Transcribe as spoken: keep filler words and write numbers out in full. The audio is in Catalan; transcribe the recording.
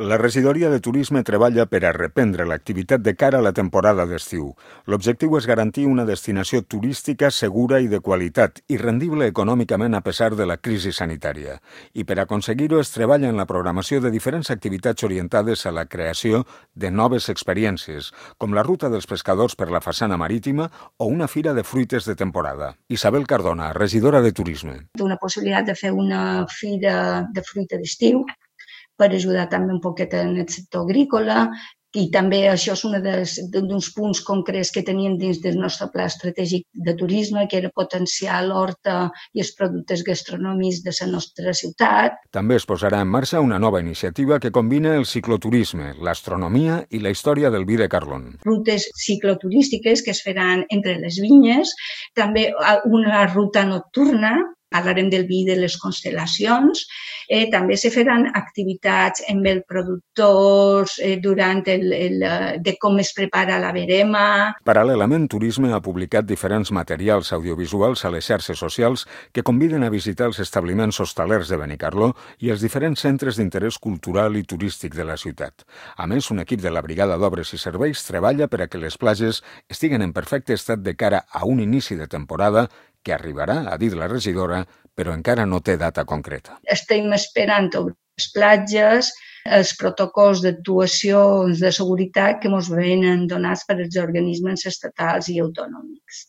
La regidoria de turisme treballa per a reprendre l'activitat de cara a la temporada d'estiu. L'objectiu és garantir una destinació turística segura i de qualitat i rendible econòmicament a pesar de la crisi sanitària. I per aconseguir-ho es treballa en la programació de diferents activitats orientades a la creació de noves experiències, com la ruta dels pescadors per la façana marítima o una fira de fruites de temporada. Isabel Cardona, regidora de turisme. Una possibilitat de fer una fira de fruita d'estiu per ajudar també un poquet en el sector agrícola i també això és un dels punts concrets que teníem dins del nostre pla estratègic de turisme, que era potenciar l'horta i els productes gastronòmics de la nostra ciutat. També es posarà en marxa una nova iniciativa que combina el cicloturisme, l'astronomia i la història del vi de Carlon. Rutes cicloturístiques que es faran entre les vinyes, també una ruta nocturna, parlarem del vi de les constel·lacions, eh, també se faran activitats amb els productors eh, durant el, el, de com es prepara la verema. Paral·lelament, Turisme ha publicat diferents materials audiovisuals a les xarxes socials que conviden a visitar els establiments hostalers de Benicarló i els diferents centres d'interès cultural i turístic de la ciutat. A més, un equip de la Brigada d'Obres i Serveis treballa per a que les platges estiguen en perfecte estat de cara a un inici de temporada que arribarà, ha dit la regidora, però encara no té data concreta. Estem esperant a les platges els protocols d'actuacions de seguretat que ens venen donats per els organismes estatals i autonòmics.